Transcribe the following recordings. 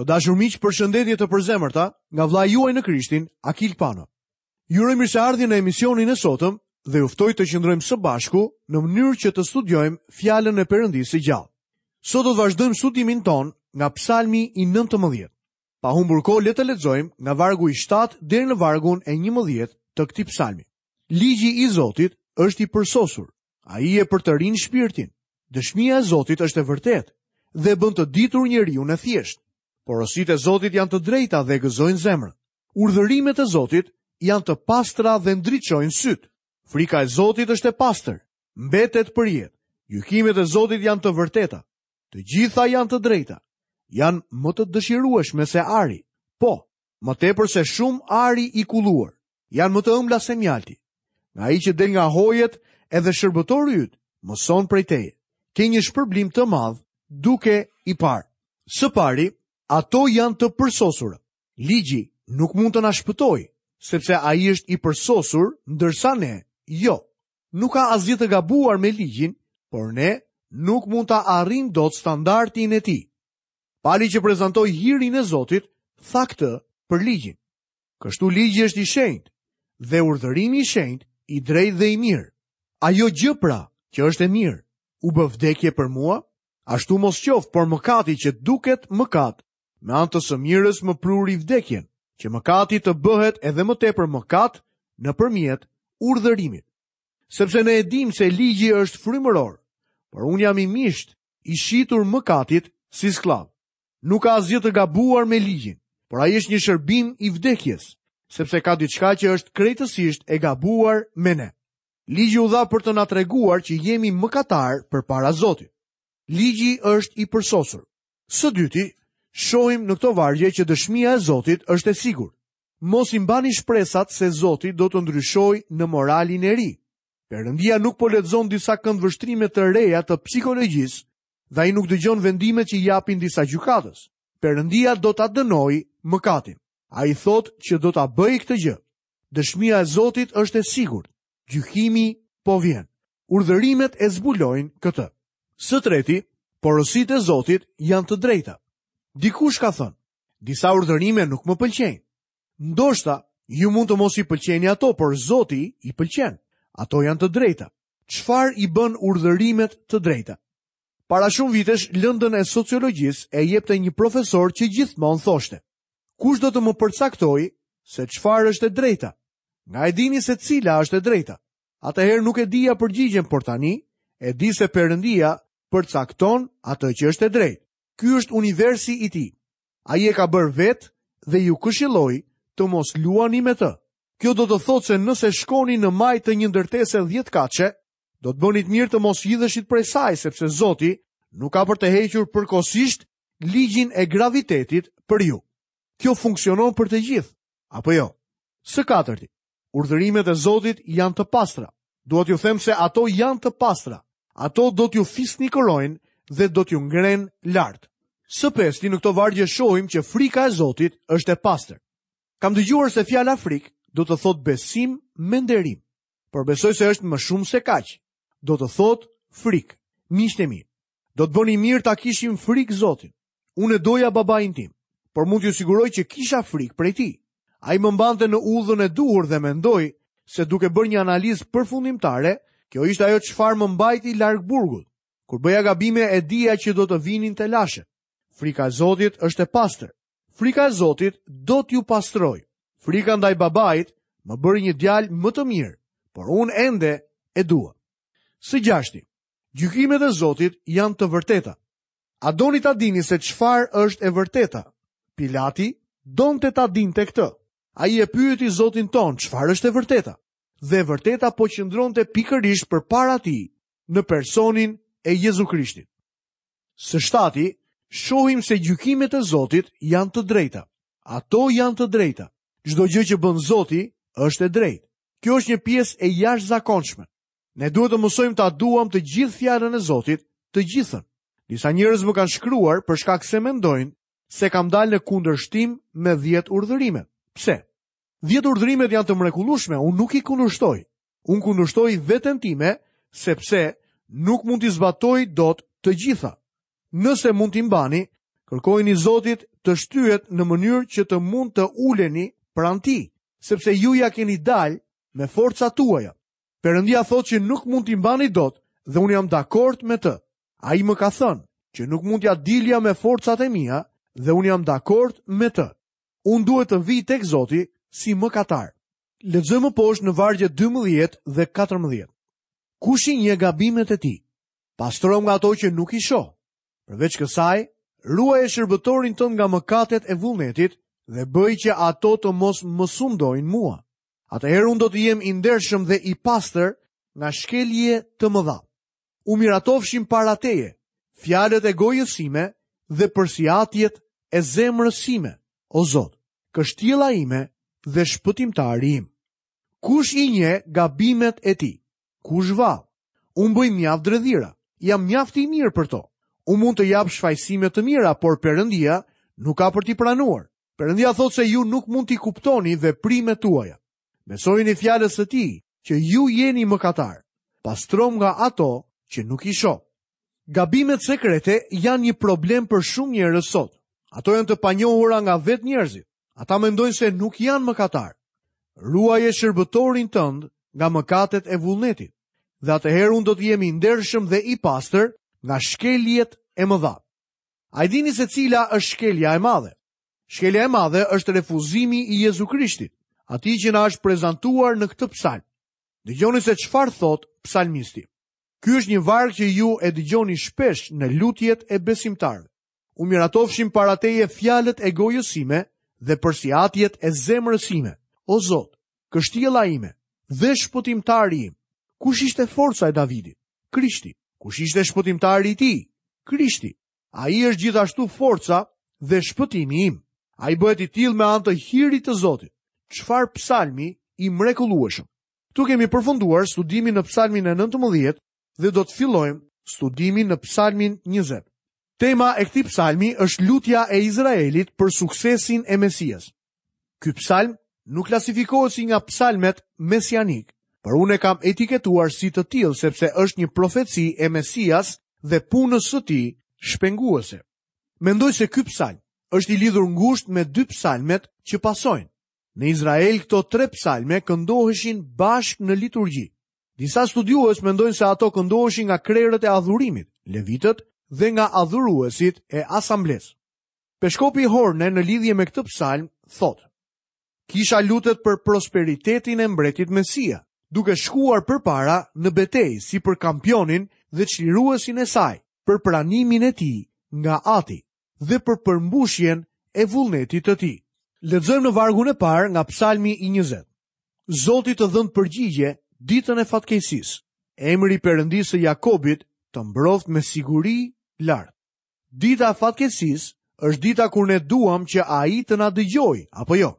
Të dashur miq, përshëndetje të përzemërta nga vëllai juaj në Krishtin, Akil Pano. Ju uroj mirëseardhjen në emisionin e sotëm dhe ju ftoj të qëndrojmë së bashku në mënyrë që të studiojmë fjalën e Perëndisë së gjallë. Sot do të vazhdojmë studimin tonë nga Psalmi i 19. Pa humbur kohë le të lexojmë nga vargu i 7 deri në vargun e 11 të këtij psalmi. Ligji i Zotit është i përsosur. Ai e përtërin shpirtin. Dëshmia e Zotit është e vërtetë dhe bën të ditur njeriun e thjeshtë. Porositë e Zotit janë të drejta dhe gëzojnë zemrën. Urdhërimet e Zotit janë të pastra dhe ndriçojnë sytë. Frika e Zotit është e pastër, mbetet për jetë. Gjykimet e Zotit janë të vërteta. Të gjitha janë të drejta. Janë më të dëshirueshme se ari. Po, më tepër se shumë ari i kulluar. Janë më të ëmbla se mjalti. Nga ai që del nga hojet edhe shërbëtori yt, mëson prej teje. Ke një shpërblim të madh duke i parë. Së pari, ato janë të përsosura. Ligji nuk mund të na shpëtojë, sepse ai është i përsosur, ndërsa ne jo. Nuk ka asgjë të gabuar me ligjin, por ne nuk mund ta arrijmë dot standardin e tij. Pali që prezantoi hirin e Zotit, tha këtë për ligjin. Kështu ligji është i shenjtë dhe urdhërimi i shenjtë, i drejtë dhe i mirë. Ajo gjë pra, që është e mirë, u bë vdekje për mua, ashtu mos qoftë, por mëkati që duket mëkat, me anë të së mirës më pruri vdekjen, që mëkati të bëhet edhe më tepër mëkat nëpërmjet urdhërimit. Sepse ne e dimë se ligji është frymëror, por unë jam i mishtë, i shitur mëkatit si skllav. Nuk ka asgjë të gabuar me ligjin, por ai është një shërbim i vdekjes, sepse ka diçka që është krejtësisht e gabuar me ne. Ligji u dha për të na treguar që jemi mëkatarë përpara Zotit. Ligji është i përsosur. Së dyti, shohim në këto vargje që dëshmia e Zotit është e sigurt. Mos i mbani shpresat se Zoti do të ndryshojë në moralin e ri. Perëndia nuk po lexon disa këndvështrime të reja të psikologjisë dhe ai nuk dëgjon vendimet që japin disa gjykatës. Perëndia do ta dënojë mëkatin. Ai thotë që do ta bëjë këtë gjë. Dëshmia e Zotit është e sigurt. Gjykimi po vjen. Urdhërimet e zbulojnë këtë. Së treti, porositë e Zotit janë të drejta. Dikush ka thënë, disa urdhërime nuk më pëlqejnë. Ndoshta ju mund të mos i pëlqeni ato, por Zoti i pëlqen. Ato janë të drejta. Çfarë i bën urdhërimet të drejta? Para shumë vitesh lëndën e sociologjisë e jepte një profesor që gjithmonë thoshte: Kush do të më përcaktojë se çfarë është e drejta? Nga e dini se cila është e drejta? Atëherë nuk e dija përgjigjen, por tani e di se Perëndia përcakton atë që është e drejtë. Ky është universi i tij. Ai e ka bërë vetë dhe ju këshilloj të mos luani me të. Kjo do të thotë se nëse shkoni në majë të një ndërtese 10 katëshe, do të bënit mirë të mos hidheshit prej saj, sepse Zoti nuk ka për të hequr përkohësisht ligjin e gravitetit për ju. Kjo funksionon për të gjithë, apo jo? Së katërti, urdhërimet e Zotit janë të pastra. Dua t'ju them se ato janë të pastra. Ato do t'ju fisnikërojnë dhe do t'ju ngrenë lart. Së pesti, në këto vargje shohim që frika e Zotit është e pastër. Kam dëgjuar se fjala frikë do të thotë besim me nderim, por besoj se është më shumë se kaq. Do të thotë frikë. Miqtë e mi, do të bënim mirë ta kishim frikë Zotin. Unë e doja babain tim, por mund t'ju siguroj që kisha frikë prej tij. Ai më mbante në udhën e duhur dhe mendoj se duke bërë një analizë përfundimtare, kjo ishte ajo çfarë më mbajti larg burgut. Kur bëja gabime e dija që do të vinin telashe. Frika e Zotit është e pastër. Frika e Zotit do t'ju pastrojë. Frika ndaj babait më bëri një djalë më të mirë, por unë ende e dua. Së gjashti, gjykimet e Zotit janë të vërteta. A doni ta dini se çfarë është e vërteta? Pilati donte ta dinte këtë. Ai e pyeti Zotin tonë çfarë është e vërteta. Dhe e vërteta po qëndronte pikërisht përpara tij në personin e Jezu Krishtit. Së shtati, shohim se gjykimet e Zotit janë të drejta. Ato janë të drejta. Çdo gjë që bën Zoti është e drejtë. Kjo është një pjesë e jashtëzakonshme. Ne duhet të mësojmë ta duam të gjithë fjalën e Zotit, të gjithën. Disa njerëz më kanë shkruar për shkak se mendojnë se kam dalë në kundërshtim me 10 urdhërimet. Pse? 10 urdhërimet janë të mrekullueshme, unë nuk i kundërshtoj. Unë kundërshtoj veten time sepse nuk mund t'i zbatoj dot të gjitha. Nëse mund t'i mbani, Kërkojini Zotit të shtyhet në mënyrë që të mund të uleni pranë tij, sepse ju ia keni dalë me forcat tuaja. Perëndia thotë që nuk mund t'i mbani dot dhe unë jam dakord me të. Ai më ka thënë që nuk mund t'ia dilja me forcat e mia dhe unë jam dakord me të. Unë duhet të vij tek Zoti si mëkatar. Lexojmë më poshtë në vargjet 12 dhe 14. Kush i njeh gabimet e tij? Pastromë nga ato që nuk i shoh. Përveç kësaj, ruaje shërbëtorin tënd nga mëkatet e vullnetit dhe bëj që ato të mos më sundojnë mua. Atëherë unë do të jem i ndershëm dhe i pastër nga shkelje të mëdha. U miratofshin para teje, fjalët e gojës sime dhe përsiatjet e zemrës sime, o Zot, kështjella ime dhe shpëtimtari im. Kush i njeh gabimet e tij? Kush vallë? Unë bëj mjaft dredhira, jam mjaft i mirë për to. Unë mund të jap shfajësime të mira, por Perëndia nuk ka për t'i pranuar. Perëndia thotë se ju nuk mund t'i kuptoni veprimet tuaja. Besojini fjalës së tij që ju jeni mëkatarë. Pastromë nga ato që nuk i shoh. Gabimet sekrete janë një problem për shumë njerëz sot. Ato janë të panjohura nga vetë njerëzit. Ata mendojnë se nuk janë mëkatarë. Ruaje shërbëtorin tënd nga mëkatet e vullnetit, dhe atëherë unë do të jem i ndershëm dhe i pastër nga shkeljet e mëdha. A e dini se cila është shkelja e madhe? Shkelja e madhe është refuzimi i Jezu Krishtit, atij që na është prezantuar në këtë psalm. Dëgjoni se çfarë thotë psalmisti. Ky është një varg që ju e dëgjoni shpesh në lutjet e besimtarëve. U miratofshin para teje fjalët e gojës sime dhe përsiatjet e zemrës sime. O Zot, kështjella ime dhe shpëtimtari im. Kush ishte forca e Davidit? Krishti. Kush ishte shpëtimtari i tij? Krishti. Ai është gjithashtu forca dhe shpëtimi im. Ai bëhet i tillë me anë të hirit të Zotit. Çfarë psalmi i mrekullueshëm. Këtu kemi përfunduar studimin në psalmin e 19 dhe do të fillojmë studimin në psalmin 20. Tema e këtij psalmi është lutja e Izraelit për suksesin e Mesias. Ky psalm nuk klasifikohet si nga psalmet mesianikë, por unë e kam etiketuar si të tillë sepse është një profeci e Mesias dhe punës së tij shpenguese. Mendoj se ky psalm është i lidhur ngushtë me dy psalmet që pasojnë. Në Izrael këto tre psalme këndoheshin bashkë në liturgji. Disa studiues mendojnë se ato këndoheshin nga krerët e adhurimit, levitët dhe nga adhuruesit e asamblesë. Peshkopi Horne në lidhje me këtë psalm thotë: Kisha lutet për prosperitetin e mbretit Mesia, duke shkuar përpara në betejë si për kampionin dhe çliruesin e saj, për pranimin e tij nga Ati dhe për përmbushjen e vullnetit të tij. Lexojmë në vargun e parë nga Psalmi i 20. Zoti të dhëntë përgjigje ditën e fatkeqësisë. Emri i Perëndisë së Jakobit të mbroftë me siguri lart. Dita e fatkeqësisë është dita kur ne duam që ai të na dëgjojë, apo jo?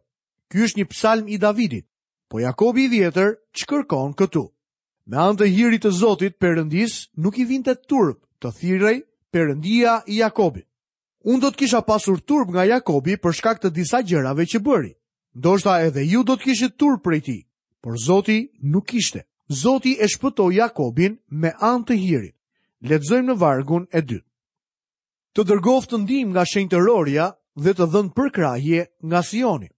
Ky është një psalm i Davidit. Po Jakobi i vjetër ç'kërkon këtu? Me anë të hirit të Zotit, Perëndisë nuk i vinte turp të thirrej Perëndia i Jakobit. Unë do të kisha pasur turp nga Jakobi për shkak të disa gjërave që bëri. Ndoshta edhe ju do të kishit turp prej tij, por Zoti nuk kishte. Zoti e shpëtoi Jakobin me anë të hirit. Lexojmë në vargun e dytë. Të dërgoftë ndihmë nga shenjtërorja dhe të dhëntë përkrahje nga Sioni.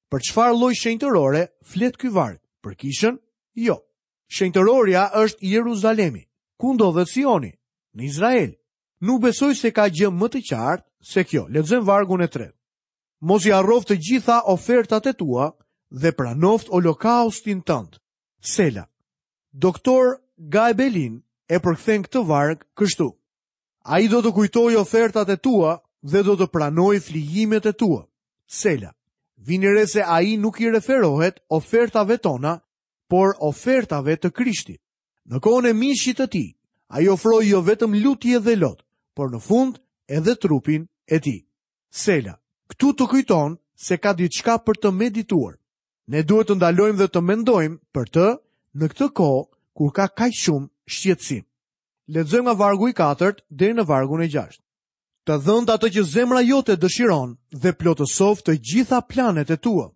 Për çfarë lloj shenjtërore flet ky varg? Për kishën? Jo. Shenjtërorja është Jeruzalemi. Ku ndodhet Sioni? Në Izrael. Nuk besoj se ka gjë më të qartë se kjo. Lexojmë vargun e tretë. Mos i harroftë të gjitha ofertat e tua dhe pranoftë holokaustin tënd. Sela. Doktor Gaebelin e përkthen këtë varg kështu. Ai do të kujtojë ofertat e tua dhe do të pranojë flijimet e tua. Sela. Vini re se ai nuk i referohet ofertave tona, por ofertave të Krishtit. Në kohën e mishit të tij, ai ofroi jo vetëm lutje dhe lot, por në fund edhe trupin e tij. Sela, këtu të kujton se ka diçka për të medituar. Ne duhet të ndalojmë dhe të mendojmë për të në këtë kohë kur ka kaq shumë shqetësim. Lexojmë nga vargu i katërt deri në vargun e gjashtë. Të dhëntë atë që zemra jote dëshiron dhe plotësoftë të gjitha planet e tua.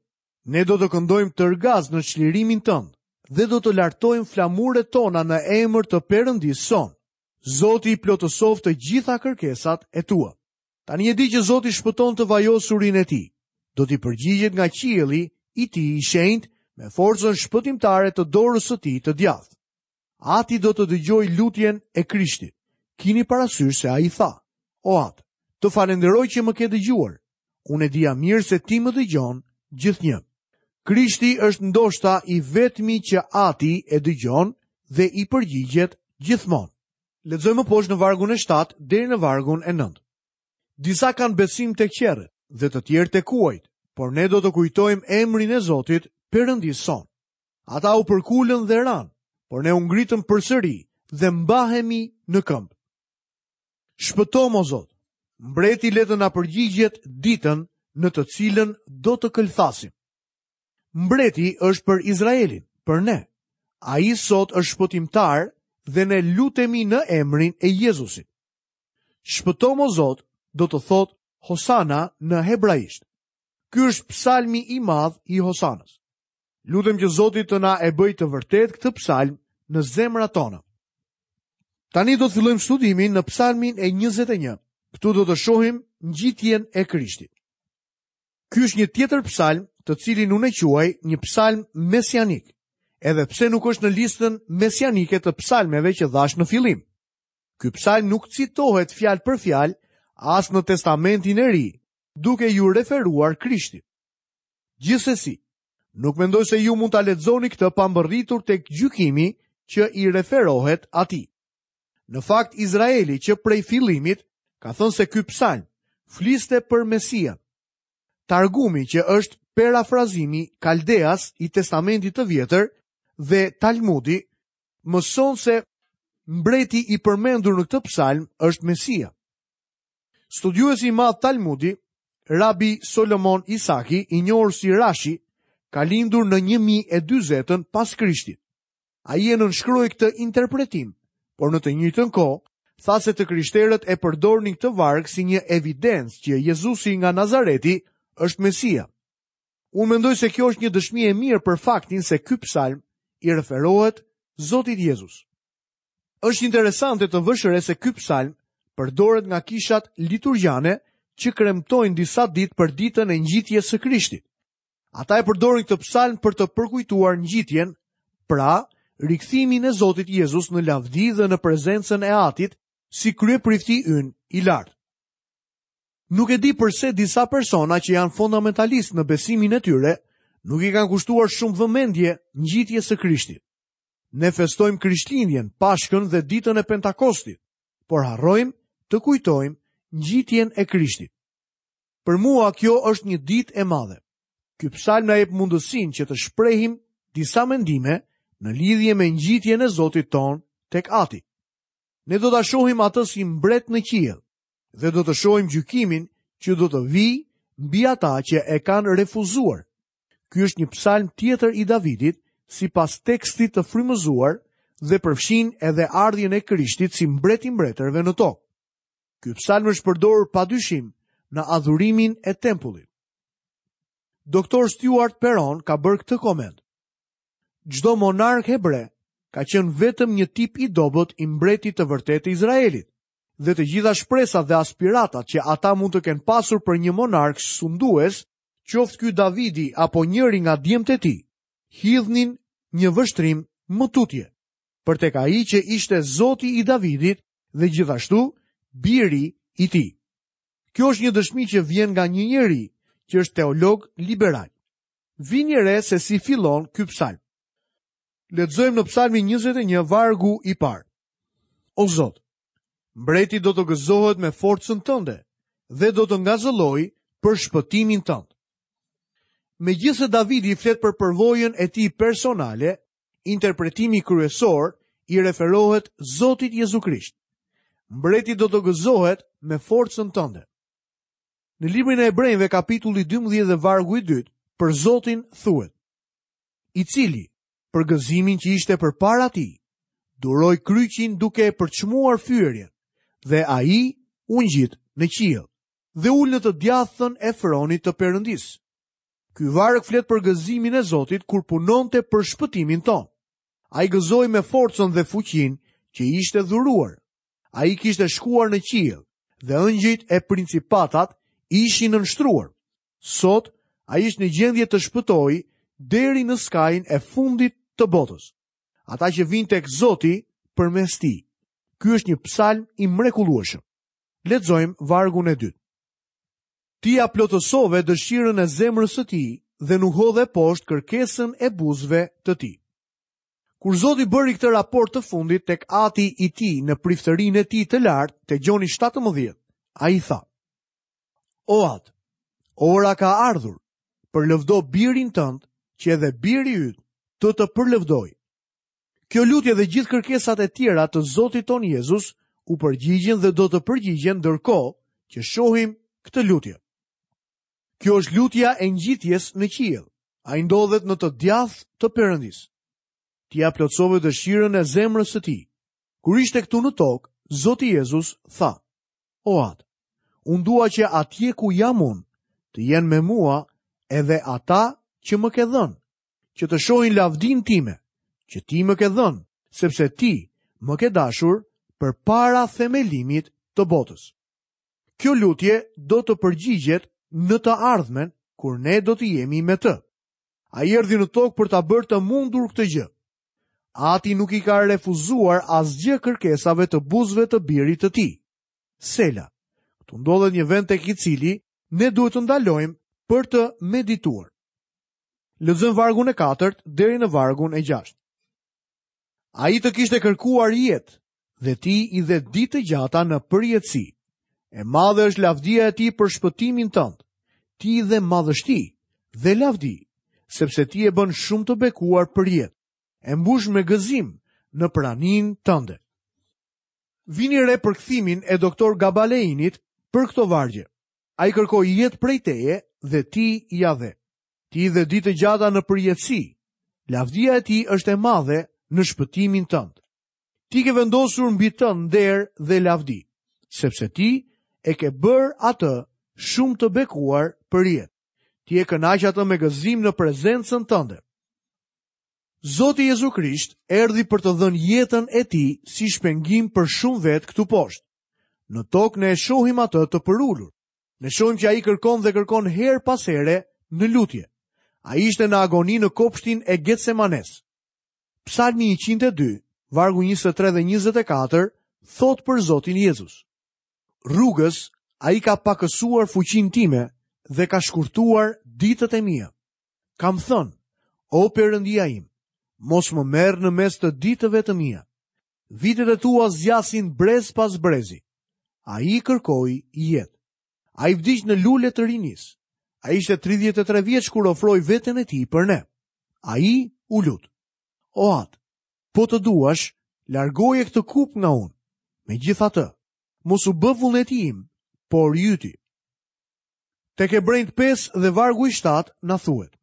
Ne do të këndojmë tërgaz në çlirimin tënd dhe do të lartojmë flamuret tona në emër të Perëndisë sonë. Zoti i plotësoftë të gjitha kërkesat e tua. Tani e di që Zoti shpëton të vajosurin e tij. Do t'i përgjigjet nga qielli i tij i shenjtë me forcën shpëtimtare të dorës së tij të djathtë. Ati do të dëgjojë lutjen e Krishtit. Kini parasysh se ai tha, O Atë, të falënderoj që më ke dëgjuar. Unë e dija mirë se ti më dëgjon gjithnjë. Krishti është ndoshta i vetmi që Ati e dëgjon dhe i përgjigjet gjithmonë. Lexojmë më poshtë në vargun e 7 deri në vargun e 9. Disa kanë besim tek qerret dhe të tjerë te kuajt, por ne do të kujtojmë emrin e Zotit, Perëndisë sonë. Ata u përkulën dhe ranë, por ne u ngritëm përsëri dhe mbahemi në këmbë. Shpëtomë, o Zot, mbreti le të na përgjigjet ditën në të cilën do të këlthasim. Mbreti është për Izraelin, për ne. Ai sot është shpëtimtar dhe ne lutemi në emrin e Jezusit. Shpëtomë, o Zot, do të thotë Hosana në hebraisht. Ky është psalmi i madh i Hosanës. Lutem që Zoti të na e bëjë të vërtetë këtë psalm në zemrat tona. Tani do të fillojmë studimin në psalmin e 21. Këtu do të shohim ngjitjen e Krishtit. Ky është një tjetër psalm, të cilin unë e quaj një psalm mesianik, edhe pse nuk është në listën mesianike të psalmeve që dhashë në fillim. Ky psalm nuk citohet fjalë për fjalë as në Testamentin e Ri, duke iu referuar Krishtit. Gjithsesi, nuk mendoj se ju mund ta lexoni këtë pa mbërritur tek gjykimi që i referohet atij. Në fakt, Izraeli që prej fillimit ka thënë se ky psalm fliste për Mesian. Targumi që është perafrazimi kaldeas i Testamentit të Vjetër dhe Talmudi mëson se mbreti i përmendur në këtë psalm është Mesia. Studiuesi i madh Talmudi, Rabi Solomon Isaki, i njohur si Rashi, ka lindur në 1040-ën pas Krishtit. Ai e nënshkroi këtë interpretim, por në të njëjtën kohë tha se të krishterët e përdornin këtë varg si një evidencë që Jezusi nga Nazareti është Mesia. Unë mendoj se kjo është një dëshmi e mirë për faktin se ky psalm i referohet Zotit Jezus. Është interesante të vësh re se ky psalm përdoret nga kishat liturgjane që kremtojnë disa ditë për ditën e ngjitjes së Krishtit. Ata e përdorin këtë psalm për të përkujtuar ngjitjen, pra rikthimin e Zotit Jezus në lavdi dhe në prezencën e Atit si kryeprifti ynë i lartë. Nuk e di përse disa persona që janë fundamentalistë në besimin e tyre nuk i kanë kushtuar shumë vëmendje ngjitjes së Krishtit. Ne festojmë Krishtlindjen, Pashkën dhe ditën e Pentakostit, por harrojmë të kujtojmë ngjitjen e Krishtit. Për mua kjo është një ditë e madhe. Ky psalm na jep mundësinë që të shprehim disa mendime në lidhje me ngjitjen e Zotit tonë tek Ati. Ne do ta shohim atë si mbret në qiell dhe do të shohim gjykimin që do të vijë mbi ata që e kanë refuzuar. Ky është një psalm tjetër i Davidit, sipas tekstit të frymëzuar dhe përfshin edhe ardhjen e Krishtit si mbret i mbretërve në tokë. Ky psalm është përdorur pa dyshim në adhurimin e tempullit. Doktor Stuart Perron ka bërë këtë koment. Çdo monark hebre ka qenë vetëm një tip i dobët i mbretit të vërtetë të Izraelit dhe të gjitha shpresat dhe aspiratat që ata mund të kenë pasur për një monark sundues qoftë ky Davidi apo njëri nga djemtë e tij, hidhnin një vështrim më tutje, për tek ai që ishte Zoti i Davidit dhe gjithashtu biri i tij. Kjo është një dëshmi që vjen nga një njeri që është teolog liberal. Vini re se si fillon ky psalm. Lexojmë në psalmin 21 vargu i parë. O Zot, Mbreti do të gëzohet me forcën tënde dhe do të ngazëllojë për shpëtimin tënd. Megjithëse Davidi flet për përvojën e tij personale, interpretimi kryesor i referohet Zotit Jezu Krisht. Mbreti do të gëzohet me forcën tënde. Në librin e Hebrenjve kapitulli 12 dhe vargu i dytë, për Zotin thuhet: I cili për gëzimin që ishte përpara tij, duroi kryqin duke e përçmuar fyerjen, dhe ai u ngjit në qiell dhe u ul në të djathtën e fronit të Perëndisë. Ky varg flet për gëzimin e Zotit kur punonte për shpëtimin tonë. Ai gëzohej me forcën dhe fuqinë që i ishte dhuruar. Ai kishte shkuar në qiell dhe ëngjëjt e principatat ishin nënshtruar. Sot ai është në gjendje të shpëtojë deri në skajin e fundit të botës. Ata që vijnë tek Zoti përmes tij. Ky është një psalm i mrekullueshëm. Lexojmë vargun e dytë. Ti ia plotësove dëshirën e zemrës së tij dhe nuk hodhe poshtë kërkesën e buzëve të tij. Kur Zoti bëri këtë raport të fundit tek ati i tij në priftërinë e tij të lartë, te Gjoni 17, ai tha: O atë, ora ka ardhur, përlëvdo birin tënd, që edhe biri yt të të përlëvdojë. Kjo lutje dhe gjithë kërkesat e tjera të Zotit tonë Jezus u përgjigjën dhe do të përgjigjen ndërkohë që shohim këtë lutje. Kjo është lutja e ngjitjes në qiell. Ai ndodhet në të djathtë të Perëndisë. Ti ia plotësove dëshirën e zemrës së tij. Kur ishte këtu në tokë, Zoti Jezus tha: O Atë, unë dua që atje ku jam unë, të jenë me mua edhe ata që më ke dhënë, që të shohin lavdinë time, që ti më ke dhënë, sepse ti më ke dashur përpara themelimit të botës. Kjo lutje do të përgjigjet në të ardhmen kur ne do të jemi me të. Ai erdhi në tokë për ta bërë të mundur këtë gjë. Ati nuk i ka refuzuar asgjë kërkesave të buzëve të birit të tij. Sela. Këtu ndodhet një vend tek i cili ne duhet të ndalojmë për të medituar. Lexojmë vargun e katërt deri në vargun e gjashtë. Ai të kishte kërkuar jetë dhe ti i dhe ditë të gjata në përjetësi. E madhe është lavdia e tij për shpëtimin tënd. Ti i dhe madhështi dhe lavdi, sepse ti e bën shumë të bekuar për jetë. E mbush me gëzim në praninë tënde. Vini re përkthimin e doktor Gabaleinit për këto vargje. Ai kërkoi jetë prej teje dhe ti ia dhe. Ti i dhe ditë të gjata në përjetësi. Lavdia e tij është e madhe në shpëtimin tënd. Ti ke vendosur mbi të nder dhe lavdi, sepse ti e ke bërë atë shumë të bekuar për jetë. Ti e kënaq atë me gëzim në prezencën tënde. Zoti Jezu Krisht erdhi për të dhënë jetën e tij si shpengim për shumë vetë këtu poshtë. Në tokë ne e shohim atë të përulur. Ne shohim që ai kërkon dhe kërkon herë pas here në lutje. Ai ishte në agoni në kopshtin e Getsemanes. Psalmi 102, vargu 23 dhe 24, thotë për Zotin Jezus. Rrugës, ai ka pakësuar fuqinë time dhe ka shkurtuar ditët e mia. Kam thënë, o Perëndia im, mos më merr në mes të ditëve të mia. Vitet e tua zgjasin brez pas brezi. Ai kërkoi jetë. Ai vdiq në lule të rinisë. Ai ishte 33 vjeç kur ofroi veten e tij për ne. Ai u lut. O Atë, po të duash, largoje këtë kupë nga unë. Megjithatë, mos u bë vullneti im, por i yti. Tek Hebrenjtë 5 dhe vargu i 7 na thuhet.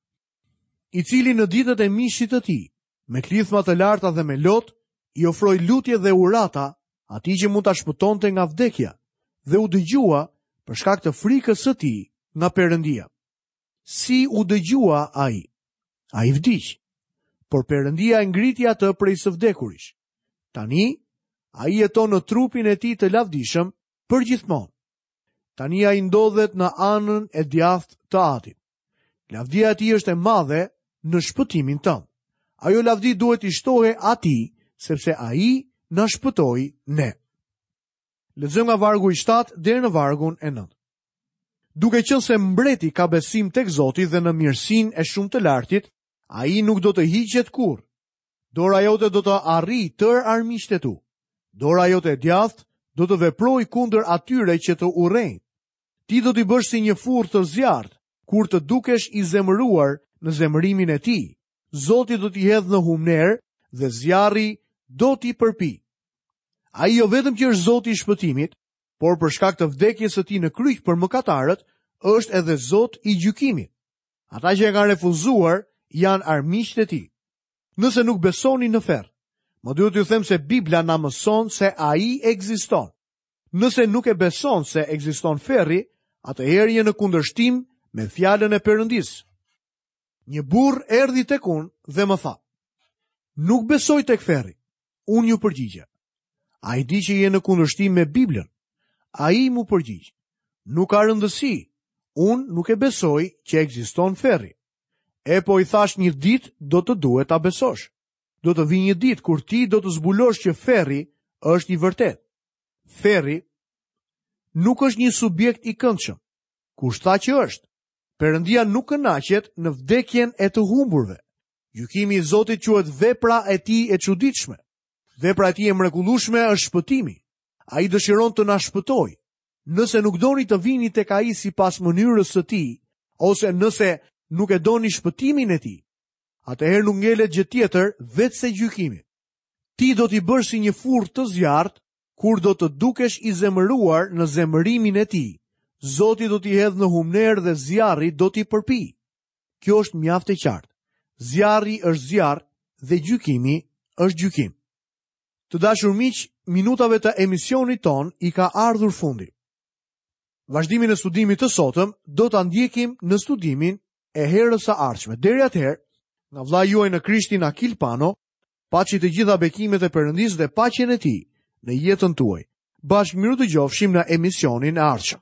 I cili në ditët e mishit të tij, me klithma të larta dhe me lot, i ofroi lutje dhe urata atij që mund ta shpëtonte nga vdekja dhe u dëgjua për shkak të frikës së tij nga Perëndia. Si u dëgjua ai? Ai vdiq, por Perëndia e ngriti atë prej së vdekurish. Tani, ai jeton në trupin e tij të lavdishëm përgjithmonë. Tani ai ndodhet në anën e djathtë të Atit. Lavdia e tij është e madhe në shpëtimin tënd. Ajo lavdi duhet t'i shtohej atij, sepse ai na shpëtoi ne. Lexojmë nga vargu i 7 deri në vargun e 9. Duke qenë se mbreti ka besim tek Zoti dhe në mirësinë e shumë të lartit, ai nuk do të hiqet kurrë. Dora jote do të arrijë tërë armiqtë e tu. Dora jote e djathtë do të veprojë kundër atyre që të urrejnë. Ti do t'i bësh si një furrë të zjarrtë, kur të dukesh i zemëruar në zemërimin e tij. Zoti do t'i hedhë në humnerë dhe zjarri do t'i përpijë. Ai jo vetëm që është Zoti i shpëtimit, por për shkak të vdekjes së tij në kryq për mëkatarët, është edhe Zot i gjykimit. Ata që e kanë refuzuar janë armiqtë e tij. Nëse nuk besoni në ferr, më duhet t'ju them se Bibla na mëson se ai ekziston. Nëse nuk e beson se ekziston ferri, atëherë je në kundërshtim me fjalën e Perëndisë. Një burrë erdhi tek unë dhe më tha: "Nuk besoj tek ferri." Unë iu përgjigja: "A e di që je në kundërshtim me Biblën? Ai m'u përgjigj, nuk ka rëndësi, unë nuk e besoj që ekziston ferri. Epo i thashë një ditë do të duhet ta besosh. Do të vijë një ditë kur ti do të zbulosh që ferri është i vërtetë. Ferri nuk është një subjekt i këndshëm. Kush tha që është? Perëndia nuk kënaqet në vdekjen e të humburve. Gjykimi i Zotit quhet vepra e tij e çuditshme. Vepra e tij e mrekullueshme është shpëtimi. Ai dëshiron të na shpëtojë. Nëse nuk doni të vini tek ai sipas mënyrës së tij, ose nëse nuk e doni shpëtimin e tij, atëherë nuk ngelet gjë tjetër veçse gjykimi. Ti do t'i bësh si një furrë të zjarrtë kur do të dukesh i zemëruar në zemërimin e tij. Zoti do t'i hedhë në humnerë dhe zjarri do t'i përpijë. Kjo është mjaft e qartë. Zjarri është zjarr dhe gjykimi është gjykim. Të dashur miq, minutave të emisionit tonë i ka ardhur fundi. Vazhdimin e studimit të sotëm do ta ndjekim në studimin e herës së ardhshme. Deri atëherë, nga vëllai juaj në Krishtin Akil Pano, paçi të gjitha bekimet e Perëndisë dhe paqen e tij në jetën tuaj. Bashkë mirudëgjofshim në emisionin e ardhshëm.